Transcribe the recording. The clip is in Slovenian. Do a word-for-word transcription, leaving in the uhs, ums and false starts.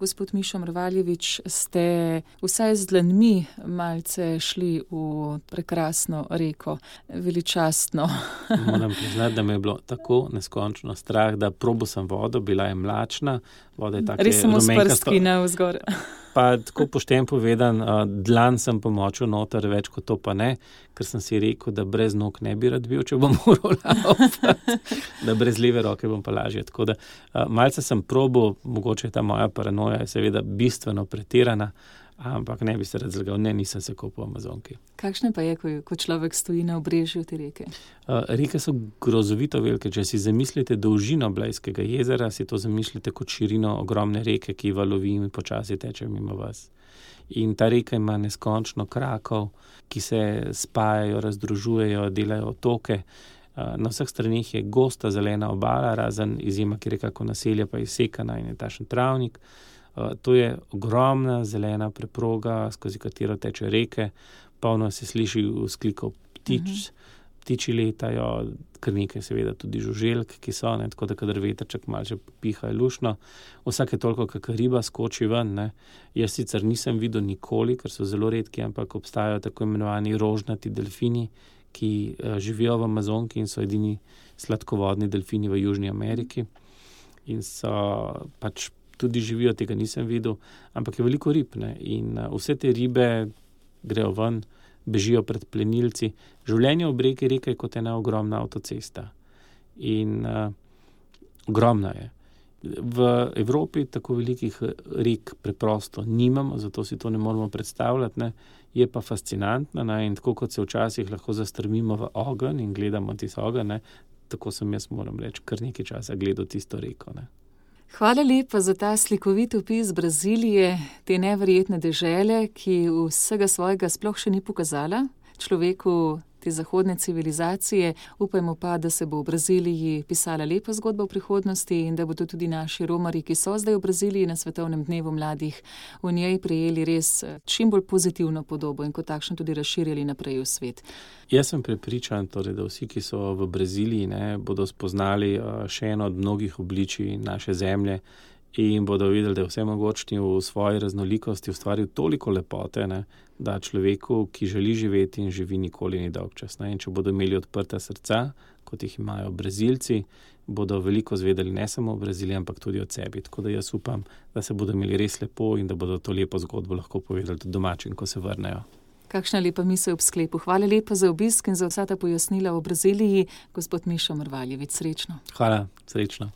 Gospod Mišo Mrvaljevič, ste vsaj z dlanmi malce šli v prekrasno reko, veličastno. Moram priznati, da me je bilo tako neskončno strah, da probal sem vodo, bila je mlačna, voda je tako res samo rumenkasto. s prstki navzgor. Pa tako pošten povedan, dlan sem pomočil noter, več kot to pa ne, ker sem si rekel, da brez nog ne bi rad bil, če bom moral laufati, da brez leve roke bom pa lažje. Tako da malce sem probal, mogoče ta moja paranoja je seveda bistveno pretirana, ampak ne bi se rad zlagal, ne, nisem se kopal v Amazonki. Kakšne pa je, ko, ko človek stoji na obrežju te reke? Uh, reke so grozovito velike. Če si zamislite dolžino Blejskega jezera, si to zamislite kot širino ogromne reke, ki valovi in počasi teče mimo vas. In ta reka ima neskončno krakov, ki se spajajo, razdružujejo, delajo otoke. Uh, na vseh stranih je gosta zelena obala, razen izjema, ki je kako naselje, pa je sekana in je tašen travnik. Uh, to je ogromna zelena preproga, skozi katero teče reke, polno se sliši vzklikov ptič, uh-huh. ptiči letajo, kar nekaj seveda tudi žuželk, ki so, ne, tako da kadar vetrček malce piha je lušno. Vsake toliko, kakor riba skoči ven, ne. Jaz sicer nisem videl nikoli, ker so zelo redki, ampak obstajajo tako imenovani rožnati delfini, ki uh, živijo v Amazonki in so edini sladkovodni delfini v Južni Ameriki. In so pač tudi živijo, tega nisem videl, ampak je veliko rib, ne, in uh, vse te ribe grejo ven, bežijo pred plenilci. Življenje ob reki reka je kot ena ogromna avtocesta. In uh, ogromna je. V Evropi tako velikih rek preprosto nimamo, zato si to ne moramo predstavljati, ne. Je pa fascinantna, ne, in tako kot se včasih lahko zastrmimo v ogenj in gledamo tisto ogenj, ne, tako sem jaz, moram reči, kar nekaj časa gledal tisto reko, ne. Hvala lepa za ta slikovit opis Brazilije, te neverjetne dežele, ki vsega svojega sploh še ni pokazala človeku te zahodne civilizacije. Upajmo pa, da se bo v Braziliji pisala lepa zgodba v prihodnosti in da bodo tudi naši romarji, ki so zdaj v Braziliji na Svetovnem dnevu mladih, v njej prejeli res čim bolj pozitivno podobo in kot takšno tudi razširjali naprej v svet. Jaz sem prepričan, torej, da vsi, ki so v Braziliji, ne, bodo spoznali še eno od mnogih obličij naše zemlje in bodo videli, da je vsemogočni v svoji raznolikosti ustvaril toliko lepote, ne, da človeku, ki želi živeti in živi, nikoli ni dolgčas. Ne. In če bodo imeli odprta srca, kot jih imajo Brazilci, bodo veliko zvedeli ne samo o Braziliji, ampak tudi od sebi. Tako da jaz upam, da se bodo imeli res lepo in da bodo to lepo zgodbo lahko povedali tudi domačim, ko se vrnejo. Kakšna lepa misel ob sklepu. Hvala lepa za obisk in za vsa ta pojasnila o Braziliji. Gospod Mišo Mrvaljevič, srečno. Hvala, srečno.